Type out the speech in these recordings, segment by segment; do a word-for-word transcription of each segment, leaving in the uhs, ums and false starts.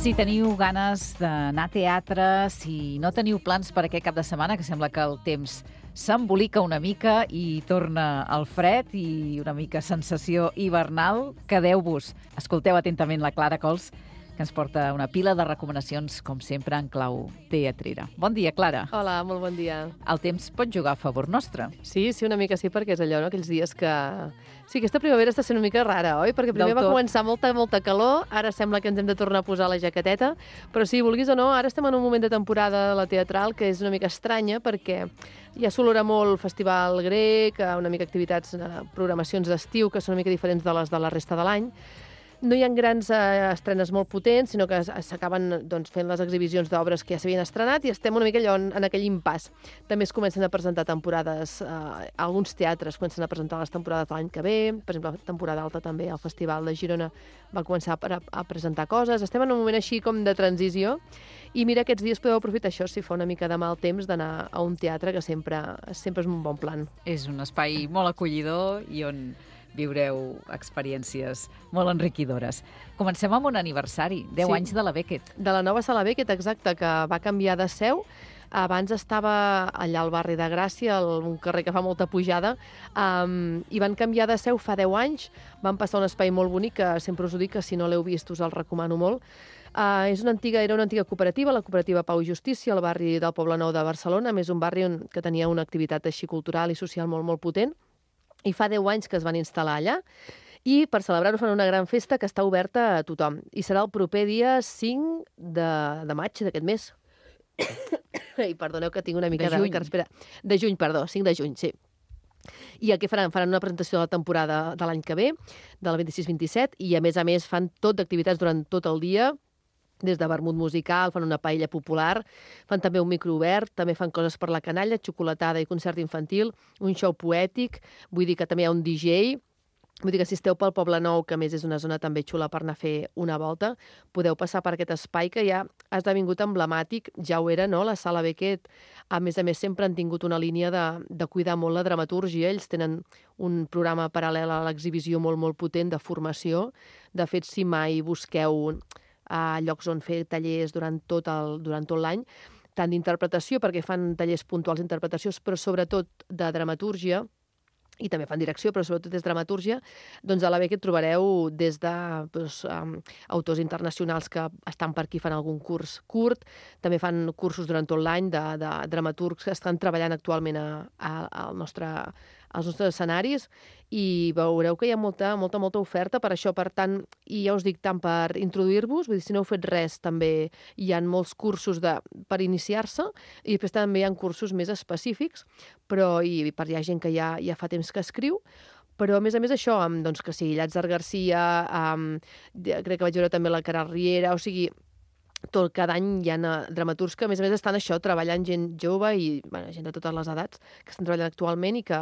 Si teniu ganes d'anar a teatre, si no teniu plans per aquest cap de setmana, que sembla que el temps s'embolica una mica i torna al fred i una mica sensació hivernal, quedeu-vos. Escolteu atentament la Clara Cols, que ens porta una pila de recomanacions, com sempre, en clau teatrera. Bon dia, Clara. Hola, molt bon dia. El temps pot jugar a favor nostre. Sí, sí, una mica sí, perquè és allò, no? Aquells dies que... Sí, aquesta primavera està sent una mica rara, oi? Perquè primer va començar molta, molta calor, ara sembla que ens hem de tornar a posar la jaqueteta, però sí, vulguis o no, ara estem en un moment de temporada de la teatral que és una mica estranya, perquè ja s'olora molt festival grec, una mica activitats, programacions d'estiu, que són una mica diferents de les de la resta de l'any. No hi ha grans eh, estrenes molt potents, sinó que s'acaben doncs, fent les exhibicions d'obres que ja s'havien estrenat i estem una mica allò en, en aquell impàs. També es comencen a presentar temporades, eh, alguns teatres comencen a presentar les temporades de l'any que ve, per exemple, la temporada alta també, el Festival de Girona va començar a, a presentar coses. Estem en un moment així com de transició i mira, aquests dies podeu aprofitar això, si fa una mica de mal temps, d'anar a un teatre, que sempre, sempre és un bon plan. És un espai molt acollidor i on viureu experiències molt enriquidores. Comencem amb un aniversari, deu Sí. anys de la Beckett. De la nova sala Beckett, exacte, que va canviar de seu. Abans estava allà al barri de Gràcia, el, un carrer que fa molta pujada, um, i van canviar de seu fa deu anys. Van passar un espai molt bonic, que sempre us ho dic, que si no l'heu vist us el recomano molt. Uh, és una antiga, era una antiga cooperativa, la cooperativa Pau i Justícia, al barri del Poblenou de Barcelona, a més un barri on, que tenia una activitat així cultural i social molt, molt potent. I fa deu anys que es van instal·lar allà i per celebrar-ho fan una gran festa que està oberta a tothom. I serà el proper dia cinc de, de maig d'aquest mes. I perdoneu que tinc una mica De de... juny. De, espera, de juny, perdó, cinc de juny, sí. I el que faran? Faran una presentació de la temporada de l'any que ve, del vint-i-sis vint-i-set, i a més a més fan tot d'activitats durant tot el dia, des de vermut musical, fan una paella popular, fan també un micro obert, també fan coses per la canalla, xocolatada i concert infantil, un show poètic, vull dir que també hi ha un D J, vull dir que si esteu pel Poblenou, que a més és una zona també xula per anar a fer una volta, podeu passar per aquest espai que ja ha esdevingut emblemàtic, ja ho era, no?, la sala Beckett. A més a més, sempre han tingut una línia de, de cuidar molt la dramatúrgia, ells tenen un programa paral·lel a l'exhibició molt, molt potent de formació. De fet, si mai busqueu a llocs on fer tallers durant tot el, durant tot l'any, tant d'interpretació, perquè fan tallers puntuals d'interpretació, però sobretot de dramatúrgia, i també fan direcció, però sobretot és dramatúrgia, doncs a la Beckett trobareu des de doncs, um, autors internacionals que estan per aquí, fan algun curs curt, també fan cursos durant tot l'any de, de dramaturgs que estan treballant actualment a, a, al nostre, als nostres escenaris, i veureu que hi ha molta, molta, molta oferta per això. Per tant, i ja us dic, tant per introduir-vos, vull dir, si no heu fet res, també hi ha molts cursos de, per iniciar-se, i després també hi ha cursos més específics, però i per hi ha gent que ja, ja fa temps que escriu, però a més a més això, amb, doncs, que sigui Llàtzer Garcia, amb, crec que vaig veure també la Cara Riera, o sigui, tot, cada any hi ha dramaturgs que a més a més estan això, treballant gent jove i bueno, gent de totes les edats que estan treballant actualment i que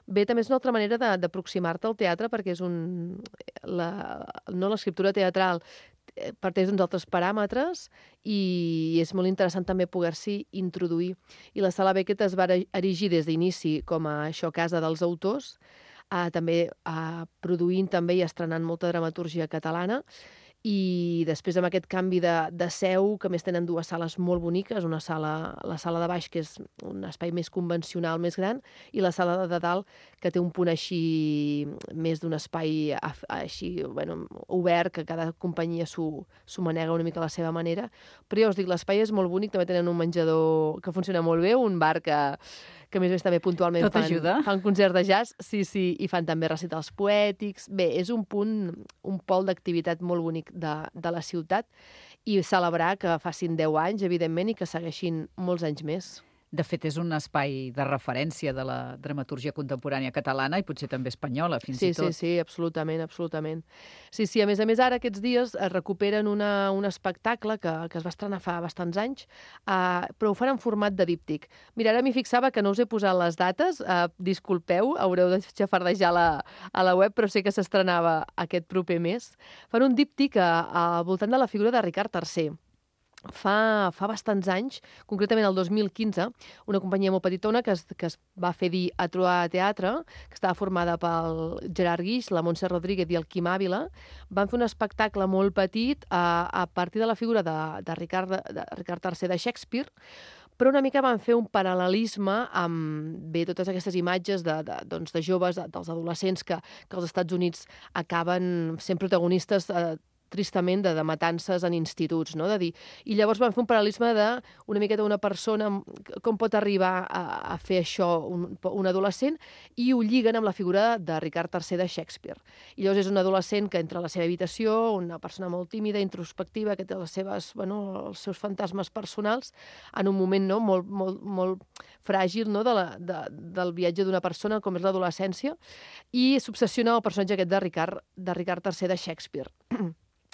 bé, també és una altra manera de- d'aproximar-te al teatre, perquè és un... La, no l'escriptura teatral eh, parteix d'uns altres paràmetres i és molt interessant també poder-s'hi introduir. I la sala Beckett es va erigir des d'inici com a això, casa dels autors, eh, també eh, produint també i estrenant molta dramatúrgia catalana, i després amb aquest canvi de, de seu, que a més tenen dues sales molt boniques, una sala, la sala de baix, que és un espai més convencional, més gran, i la sala de dalt, que té un punt així, més d'un espai així, bueno, obert, que cada companyia s'ho s'ho manega una mica a la seva manera. Però ja us dic, l'espai és molt bonic, també tenen un menjador que funciona molt bé, un bar que, que a més a més també puntualment Tot fan, ajuda. fan concert de jazz, sí, sí, i fan també recitals poètics. Bé, és un punt, un pol d'activitat molt bonic de, de la ciutat, i celebrar que facin deu anys, evidentment, i que segueixin molts anys més. De fet, és un espai de referència de la dramatúrgia contemporània catalana i potser també espanyola, fins Sí, i tot. sí, sí, absolutament, absolutament. Sí, sí, a més a més, ara aquests dies es recuperen una, un espectacle que, que es va estrenar fa bastants anys, uh, però ho fan en format de díptic. Mira, ara m'hi fixava que no us he posat les dates, uh, disculpeu, haureu de xafardejar la, a la web, però sé que s'estrenava aquest proper mes. Fan un díptic a, a, al voltant de la figura de Ricard tercer. fa, fa bastants anys, concretament el dos mil quinze, una companyia molt petitona que es, que es va fer dir A Trobar Teatre, que estava formada pel Gerard Guix, la Montse Rodríguez i el Quim Àvila, van fer un espectacle molt petit a, a partir de la figura de, de, Ricard, de Ricard tercer de Shakespeare, però una mica van fer un paral·lelisme amb bé, totes aquestes imatges de, de, doncs, de joves, de, dels adolescents que, que als Estats Units acaben sent protagonistes eh, tristament de, de matances en instituts, no? De dir, i llavors van fer un paral·lelisme de una miqueta una persona, com pot arribar a, a fer això un, un adolescent, i ho lliguen amb la figura de Ricard tercer de Shakespeare. I llavors és un adolescent que entra a la seva habitació, una persona molt tímida, introspectiva, que té les seves, bueno, els seus fantasmes personals, en un moment no, molt, molt, molt fràgil no, de la, de, del viatge d'una persona, com és l'adolescència, i s'obsessiona el personatge aquest de Ricard, de Ricard tercer de Shakespeare,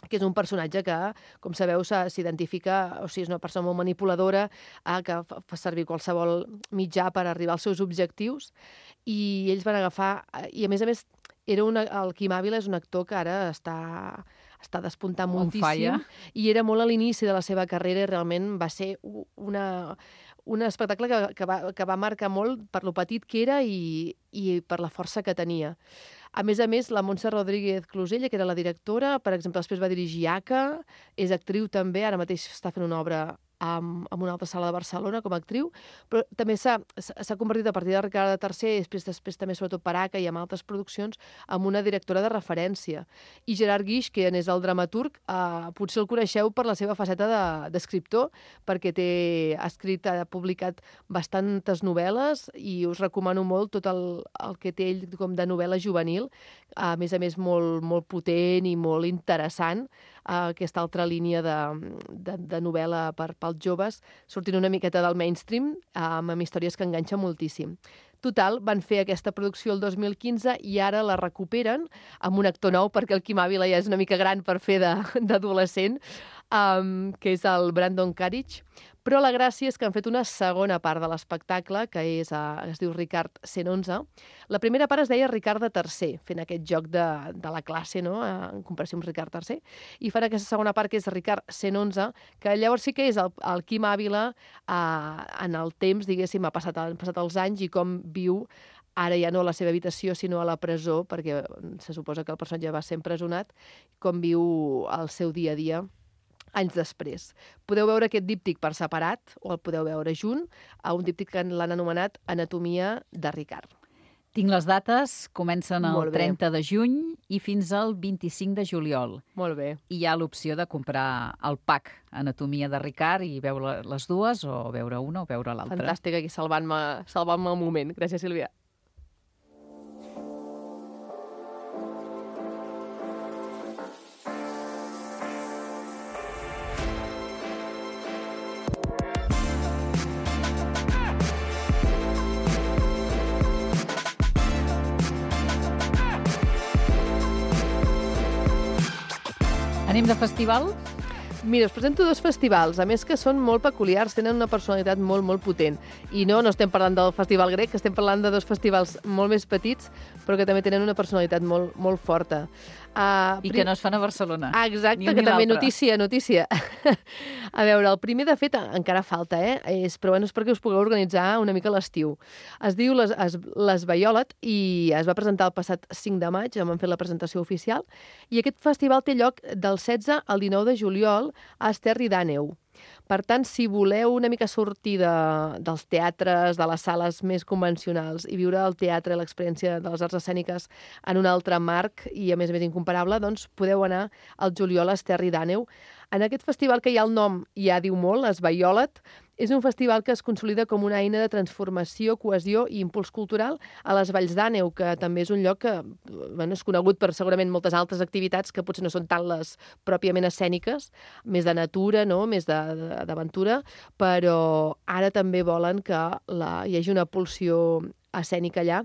que és un personatge que, com sabeu, s'identifica, o sigui, és una persona molt manipuladora, eh, que fa servir qualsevol mitjà per arribar als seus objectius, i ells van agafar, i a més a més, era una, el Quim Àvila és un actor que ara està, està despuntant moltíssim, i era molt a l'inici de la seva carrera, i realment va ser una, un espectacle que, que, va, que va marcar molt per lo petit que era i, i per la força que tenia. A més a més, la Montse Rodríguez Closella, que era la directora, per exemple, després va dirigir A C A, és actriu també, ara mateix està fent una obra en una altra sala de Barcelona com a actriu, però també s'ha convertit a partir de Ricard tercer, i després, després també sobretot per A C A i amb altres produccions, en una directora de referència. I Gerard Guix, que és el dramaturg, eh, potser el coneixeu per la seva faceta d'escriptor, de, perquè té, ha escrit, ha publicat bastantes novel·les, i us recomano molt tot el, el que té ell com de novel·la juvenil, a més a més molt, molt potent i molt interessant, eh, aquesta altra línia de, de, de novel·la per, pels joves, sortint una miqueta del mainstream, eh, amb històries que enganxen moltíssim. Total, van fer aquesta producció el dos mil quinze i ara la recuperen amb un actor nou, perquè el Quim Àvila ja és una mica gran per fer d'adolescent, um, que és el Brandon Carriage. Però la gràcia és que han fet una segona part de l'espectacle, que és, uh, es diu Ricard cent onze. La primera part es deia Ricard tercer, fent aquest joc de, de la classe, no?, en comparació amb Ricard tercer. I fan aquesta segona part, que és Ricard cent onze, que llavors sí que és el, el Quim Àvila uh, en el temps, diguéssim, ha passat, han passat els anys i com viu ara ja no a la seva habitació, sinó a la presó, perquè se suposa que el personatge va ser empresonat, com viu el seu dia a dia anys després. Podeu veure aquest díptic per separat, o el podeu veure junt, a un díptic que l'han anomenat Anatomia de Ricard. Tinc les dates, comencen el trenta de juny i fins al vint-i-cinc de juliol. Molt bé. I hi ha l'opció de comprar el pack Anatomia de Ricard i veure les dues, o veure una o veure l'altra. Fantàstic, aquí salvant-me salvant-me el moment. Gràcies, Sílvia. Anem de festival? Mira, us presento dos festivals, a més que són molt peculiars, tenen una personalitat molt, molt potent. I no, no estem parlant del Festival Grec, estem parlant de dos festivals molt més petits, però que també tenen una personalitat molt, molt forta. Uh, I que no es fan a Barcelona. Ah, exacte, que també notícia, notícia. A veure, el primer, de fet, encara falta, eh? És, però bueno, és perquè us pugueu organitzar una mica l'estiu. Es diu Les, es, Les Baiolet i es va presentar el passat cinc de maig, en van fer la presentació oficial, i aquest festival té lloc del setze al dinou de juliol a Esterri d'Àneu. Per tant, si voleu una mica sortir de, dels teatres, de les sales més convencionals i viure el teatre, l'experiència de les arts escèniques en un altre marc i, a més a més, incomparable, doncs podeu anar al juliol a Esterri d'Àneu. En aquest festival, que ja el nom ja diu molt, Les Baiolet, és un festival que es consolida com una eina de transformació, cohesió i impuls cultural a les Valls d'Àneu, que també és un lloc que bueno, és conegut per segurament moltes altres activitats que potser no són tant les pròpiament escèniques, més de natura, no? Més d'aventura, però ara també volen que la, hi hagi una pulsió escènica allà,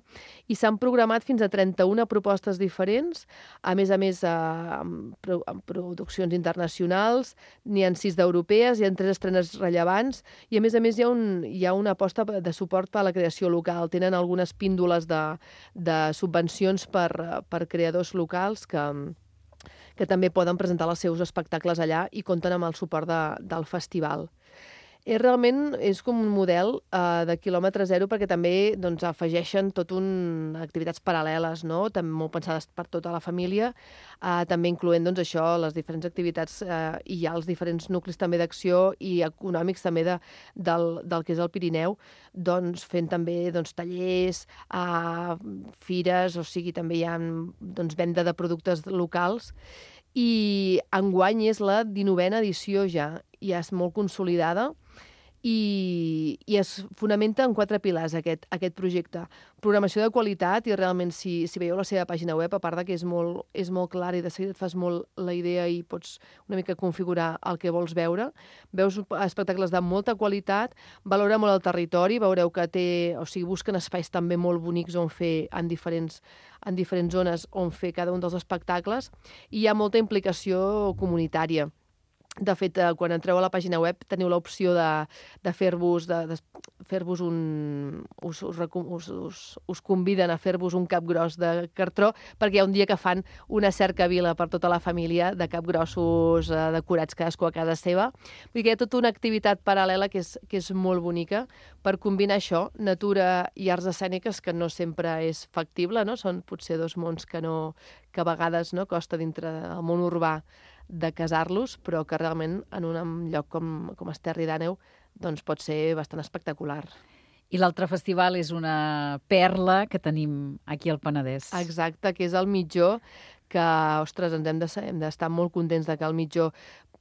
i s'han programat fins a trenta-una propostes diferents, a més a més amb, amb produccions internacionals, n'hi ha sis d'europees, hi ha tres estrenes rellevants, i a més a més hi ha, un, hi ha una aposta de suport per a la creació local. Tenen algunes píndoles de, de subvencions per, per creadors locals que que també poden presentar els seus espectacles allà i compten amb el suport de, del festival. És realment és com un model uh, de quilòmetre zero perquè també doncs, afegeixen tot un activitats paral·leles, no? També molt pensades per tota la família, uh, també incloent doncs, això, les diferents activitats uh, i hi ha els diferents nuclis també d'acció i econòmics també de, del, del que és el Pirineu, doncs, fent també doncs, tallers, uh, fires, o sigui, també hi ha doncs, venda de productes locals. I enguany és la dinovena edició ja, ja és molt consolidada i, i es fonamenta en quatre pilars aquest, aquest projecte. Programació de qualitat, i realment si, si veieu la seva pàgina web, a part de que és molt, és molt clar i de seguida et fas molt la idea i pots una mica configurar el que vols veure, veus espectacles de molta qualitat, valora molt el territori, veureu que té, o sigui, busquen espais també molt bonics on fer en diferents en diferents zones on fer cada un dels espectacles, i hi ha molta implicació comunitària. De fet, quan entreu a la pàgina web teniu l'opció de, de fer-vos de, de fer-vos un... Us, us, us, us, us conviden a fer-vos un capgros de cartró, perquè hi ha un dia que fan una cercavila per tota la família de capgrossos eh, decorats cadascú a casa seva. Vull dir que hi ha tota una activitat paral·lela que és, que és molt bonica per combinar això, natura i arts escèniques, que no sempre és factible, no? Són potser dos mons que, no, que a vegades no, costa dintre del món urbà de casar-los, però que realment en un lloc com, com Esterri d'Àneu doncs pot ser bastant espectacular. I l'altre festival és una perla que tenim aquí al Penedès. Exacte, que és el Mitjó, que, ostres, ens hem de, hem d'estar molt contents de que el Mitjó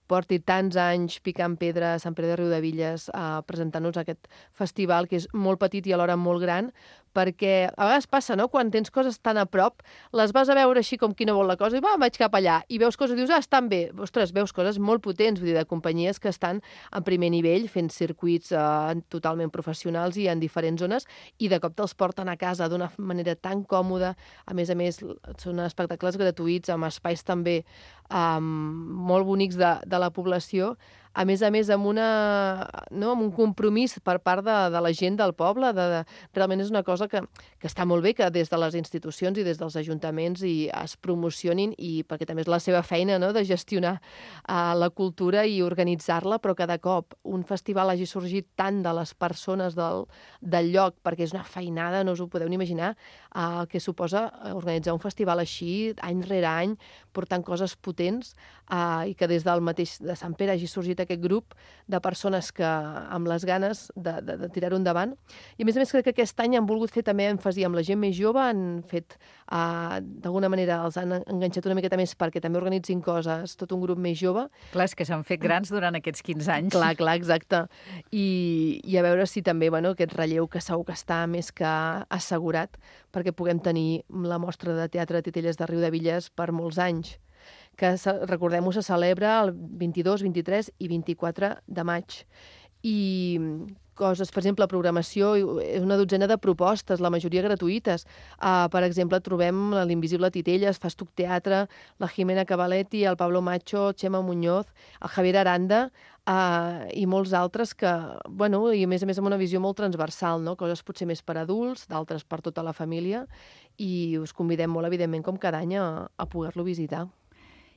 porti tants anys picant pedra a Sant Pere de Riudebitlles eh, presentant-nos aquest festival, que és molt petit i alhora molt gran, perquè a vegades passa, no?, quan tens coses tan a prop, les vas a veure així com qui no vol la cosa, i va, vaig cap allà, i veus coses i dius, ah, estan bé. Ostres, veus coses molt potents, vull dir, de companyies que estan en primer nivell, fent circuits eh, totalment professionals i en diferents zones, i de cop te'ls porten a casa d'una manera tan còmoda. A més a més, són espectacles gratuïts, amb espais també eh, molt bonics de, de la població, a més a més amb, una, no, amb un compromís per part de, de la gent del poble. De, de, realment és una cosa que, que està molt bé que des de les institucions i des dels ajuntaments i es promocionin, i perquè també és la seva feina, no?, de gestionar uh, la cultura i organitzar-la, però que de cop un festival hagi sorgit tant de les persones del, del lloc, perquè és una feinada, no us ho podeu ni imaginar, uh, el que suposa organitzar un festival així, any rere any, portant coses potents, uh, i que des del mateix de Sant Pere hagi sorgit aquest grup de persones que amb les ganes de, de, de tirar-ho endavant. I a més a més crec que aquest any han volgut fer també èmfasi amb la gent més jove, han fet, uh, d'alguna manera els han enganxat una miqueta més perquè també organitzin coses, tot un grup més jove. Clar, és que s'han fet grans durant aquests quinze anys. Clar, clar, exacte. I, i a veure si també, bueno, aquest relleu que segur que està més que assegurat perquè puguem tenir la mostra de teatre de Titelles de Riudebitlles per molts anys, que, recordem-ho, se celebra el vint-i-dos, vint-i-tres i vint-i-quatre de maig. I coses, per exemple, programació, és una dotzena de propostes, la majoria gratuïtes. Uh, per exemple, trobem l'Invisible Titelles, Fastuc Teatre, la Jimena Cavaletti, el Pablo Macho, Chema Muñoz, el Javier Aranda, uh, i molts altres que, bueno, i a més a més amb una visió molt transversal, no? Coses potser més per adults, d'altres per tota la família, i us convidem molt, evidentment, com cada any, a, a poder-lo visitar.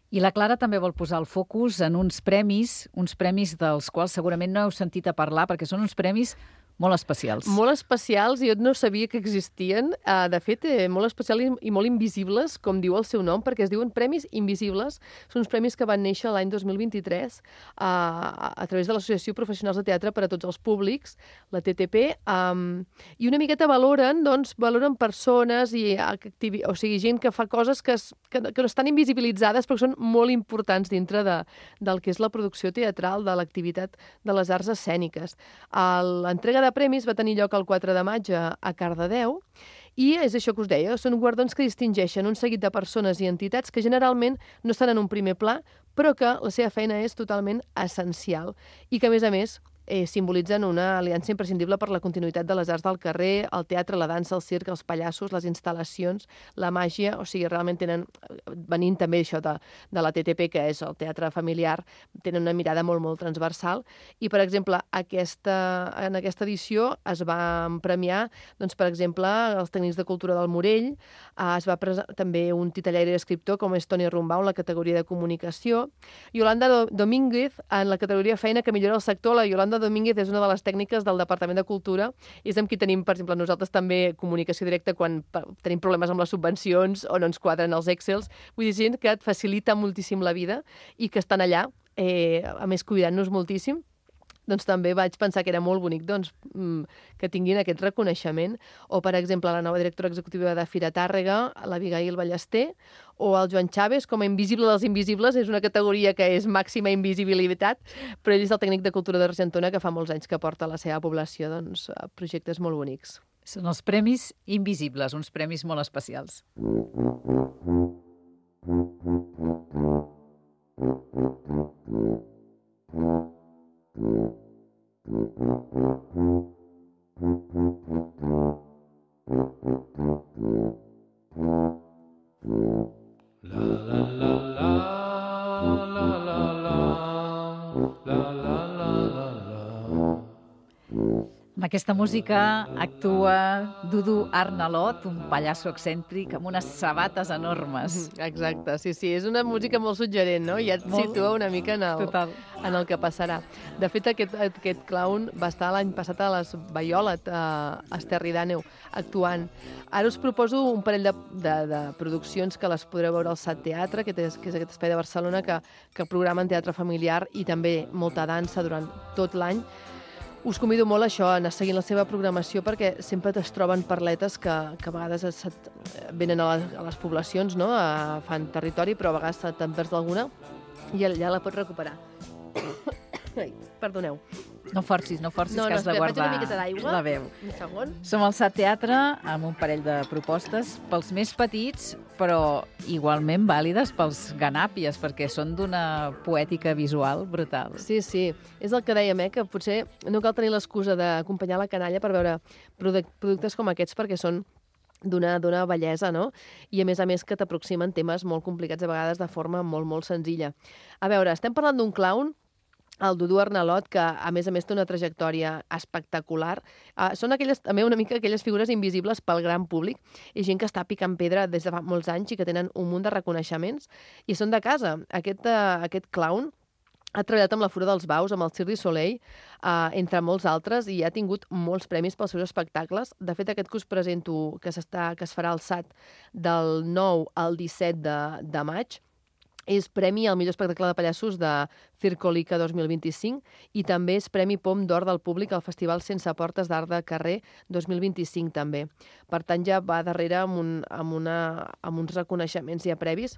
I la Clara també vol posar el focus en uns premis, uns premis dels quals segurament no heu sentit a parlar, perquè són uns premis molt especials. Molt especials, i jo no sabia que existien. Uh, de fet, eh, molt especials i, i molt invisibles, com diu el seu nom, perquè es diuen Premis Invisibles. Són uns premis que van néixer l'any dos mil vint-i-tres uh, a través de l'Associació Professionals de Teatre per a Tots els Públics, la T T P, um, i una miqueta valoren, doncs, valoren persones i activi... o sigui, gent que fa coses que, es, que, que no estan invisibilitzades, però que són molt importants dintre de, del que és la producció teatral, de l'activitat de les arts escèniques. L'entrega de de premis va tenir lloc el quatre de maig a, a Cardedeu, i és això que us deia, són guardons que distingeixen un seguit de persones i entitats que generalment no estan en un primer pla, però que la seva feina és totalment essencial i que, a més a més, eh, simbolitzen una aliança imprescindible per la continuïtat de les arts del carrer, el teatre, la dansa, el circ, els pallassos, les instal·lacions, la màgia, o sigui, realment tenen, venint també això de, de la T T P, que és el teatre familiar, tenen una mirada molt, molt transversal. I, per exemple, aquesta, en aquesta edició es va premiar, doncs, per exemple, els tècnics de cultura del Morell, eh, es va presentar també un titellaire i escriptor com és Toni Rumbau en la categoria de comunicació, Yolanda Domínguez en la categoria feina que millora el sector. La Yolanda Domínguez és una de les tècniques del Departament de Cultura i és amb qui tenim, per exemple, nosaltres també comunicació directa quan tenim problemes amb les subvencions o no ens quadren els Excels. Vull dir, gent que et facilita moltíssim la vida i que estan allà, eh, a més cuidant-nos moltíssim. Doncs també vaig pensar que era molt bonic doncs, que tinguin aquest reconeixement. O, per exemple, la nova directora executiva de Fira Tàrrega, l'Abigail Ballester, o el Joan Chávez, com a invisible dels invisibles, és una categoria que és màxima invisibilitat, però ell és el tècnic de cultura d'Argentona que fa molts anys que porta a la seva població doncs, projectes molt bonics. Són els Premis Invisibles, uns premis molt especials. La la la la la la la la la la. Amb aquesta música actua Dudu Arnalot, un pallasso excèntric amb unes sabates enormes. Exacte, sí, sí, és una música molt suggerent, no? Ja et molt situa una mica en el, en el que passarà. De fet, aquest, aquest clown va estar l'any passat a les Baiolet, a Esterri d'Àneu, actuant. Ara us proposo un parell de, de, de produccions que les podreu veure al Sat Teatre, que és, que és aquest espai de Barcelona que, que programen teatre familiar i també molta dansa durant tot l'any. Us convido molt a això, a anar seguint la seva programació, perquè sempre es troben parletes que, que a vegades es, venen a les, a les poblacions, no? A, fan territori, però a vegades te'n perds d'alguna i ja la pots recuperar. Ai, perdoneu. No forcis, no forcis, no, que no, has de guardar la veu. Un segon. Som al Sat Teatre amb un parell de propostes pels més petits, però igualment vàlides pels ganàpies, perquè són d'una poètica visual brutal. Sí, sí. És el que dèiem, eh, que potser no cal tenir l'excusa d'acompanyar la canalla per veure productes com aquests, perquè són d'una bellesa, no? I a més a més que t'aproximen temes molt complicats, a vegades de forma molt, molt senzilla. A veure, estem parlant d'un clown, el Dudu Arnalot, que a més a més té una trajectòria espectacular. Uh, són aquelles, també una mica aquelles figures invisibles pel gran públic i gent que està picant pedra des de fa molts anys i que tenen un munt de reconeixements i són de casa. Aquest, uh, aquest clown ha treballat amb la Fura dels Baus, amb el Cirque du Soleil, uh, entre molts altres, i ha tingut molts premis pels seus espectacles. De fet, aquest que us presento, que, que es farà al Sat del nou al disset de, de maig, és premi al millor espectacle de pallassos de Circolica dos mil vint-i-cinc i també és premi Pom d'Or del Públic al Festival Sense Portes d'Art de Carrer dos mil vint-i-cinc també. Per tant, ja va darrere amb, un, amb, una, amb uns reconeixements ja previs.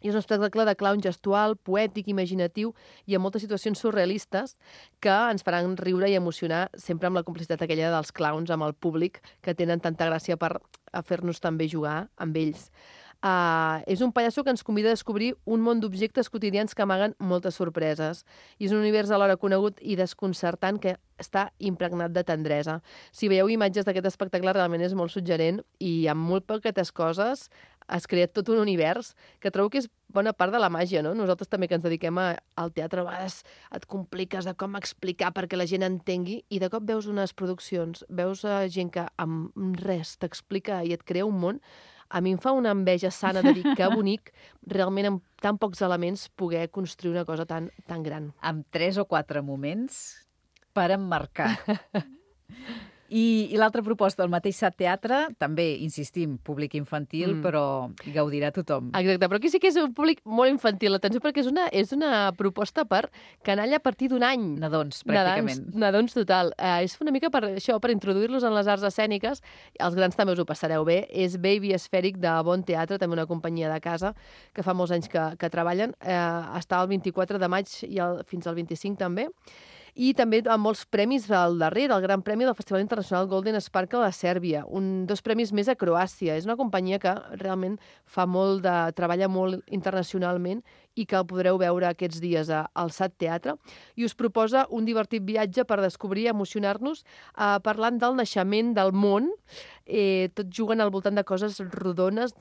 I és un espectacle de clown gestual, poètic, imaginatiu i amb moltes situacions surrealistes que ens faran riure i emocionar sempre amb la complicitat aquella dels clowns amb el públic que tenen tanta gràcia per fer-nos també jugar amb ells. Uh, és un pallasso que ens convida a descobrir un món d'objectes quotidians que amaguen moltes sorpreses. I és un univers alhora conegut i desconcertant que està impregnat de tendresa. Si veieu imatges d'aquest espectacle, realment és molt suggerent i amb molt poquetes coses es crea tot un univers que trobo que és bona part de la màgia, no? Nosaltres també que ens dediquem a, al teatre, a vegades et compliques de com explicar perquè la gent entengui i de cop veus unes produccions, veus gent que amb res t'explica i et crea un món. A mi em fa una enveja sana de dir que bonic realment amb tan pocs elements poder construir una cosa tan, tan gran. Amb tres o quatre moments per emmarcar. I, i l'altra proposta del mateix Sat Teatre, també, insistim, públic infantil, mm. però gaudirà tothom. Exacte, però aquí sí que és un públic molt infantil, atenció, perquè és una, és una proposta per canalla a partir d'un any. Nadons, pràcticament. Nadons, nadons total. Uh, és una mica per això, per introduir-los en les arts escèniques. Els grans també us ho passareu bé. És Baby Esfèric de Bon Teatre, també una companyia de casa que fa molts anys que, que treballen. Uh, està el vint-i-quatre de maig i el, fins al vint-i-cinc també. I també amb molts premis al darrere, el Gran Premi del Festival Internacional Golden Sparkle a Sèrbia, un, dos premis més a Croàcia. És una companyia que realment fa molt de, treballa molt internacionalment i que el podreu veure aquests dies al S A T Teatre, i us proposa un divertit viatge per descobrir i emocionar-nos eh, parlant del naixement del món, eh, tot jugant al voltant de coses rodones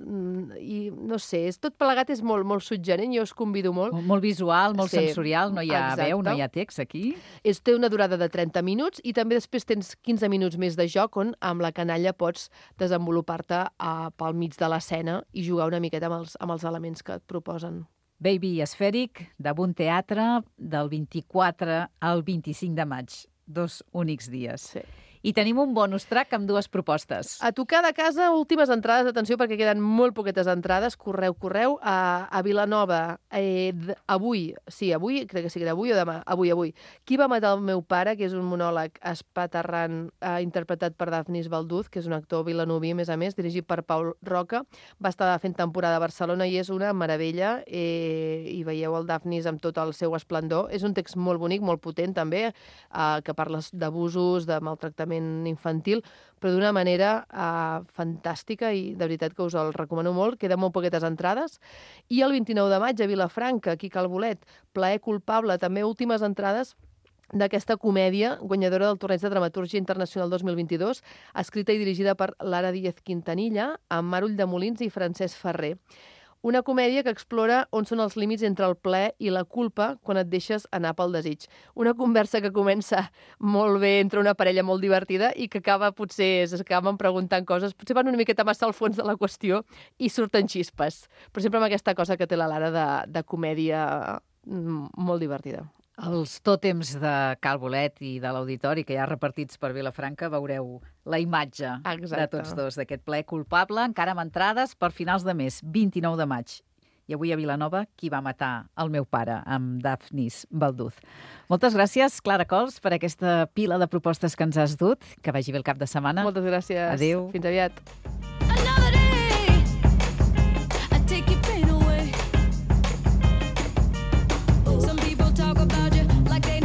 i no sé, és, tot plegat és molt, molt suggerent, jo us convido molt. Molt visual, molt sí, sensorial, no hi ha exacte. Veu, no hi ha text aquí. És, té una durada de trenta minuts i també després tens quinze minuts més de joc on amb la canalla pots desenvolupar-te uh, pel mig de l'escena i jugar una miqueta amb els, amb els elements que et proposen. Baby Esfèric, de Bon Teatre, del vint-i-quatre al vint-i-cinc de maig. Dos únics dies. Sí. I tenim un bonus track amb dues propostes. A tocar de casa, últimes entrades, atenció, perquè queden molt poquetes entrades, correu, correu, a, a Vilanova, eh, avui, sí, avui, crec que sí que era avui o demà, avui, avui. Qui va matar el meu pare, que és un monòleg espaterrant, eh, interpretat per Dafnis Balduz, que és un actor vilanoví, a més a més, dirigit per Paul Roca, va estar fent temporada a Barcelona i és una meravella, eh, i veieu el Dafnis amb tot el seu esplendor. És un text molt bonic, molt potent, també, eh, que parla d'abusos, de maltractament infantil, però d'una manera uh, fantàstica i de veritat que us el recomano molt. Queden molt poquetes entrades. I el vint-i-nou de maig a Vilafranca, aquí a Cal Bolet, Plaer culpable, també últimes entrades d'aquesta comèdia guanyadora del Torneig de Dramatúrgia Internacional dos mil vint-i-dos, escrita i dirigida per Lara Díez Quintanilla, amb Mar Ulldemolins i Francesc Ferrer. Una comèdia que explora on són els límits entre el plaer i la culpa quan et deixes anar pel desig. Una conversa que comença molt bé entre una parella molt divertida i que acaba, potser, s'acaben preguntant coses, potser van una miqueta massa al fons de la qüestió i surten xispes. Però sempre amb aquesta cosa que té la Lara de, de comèdia molt divertida. Els tòtems de Cal Bolet i de l'Auditori, que hi ha repartits per Vilafranca, veureu la imatge Exacte. de tots dos, d'aquest plaer culpable, encara amb entrades per finals de mes, vint-i-nou de maig. I avui a Vilanova, Qui va matar el meu pare, amb Dafnis Balduz. Moltes gràcies, Clara Cols, per aquesta pila de propostes que ens has dut. Que vagi bé el cap de setmana. Moltes gràcies. Adéu. Fins aviat.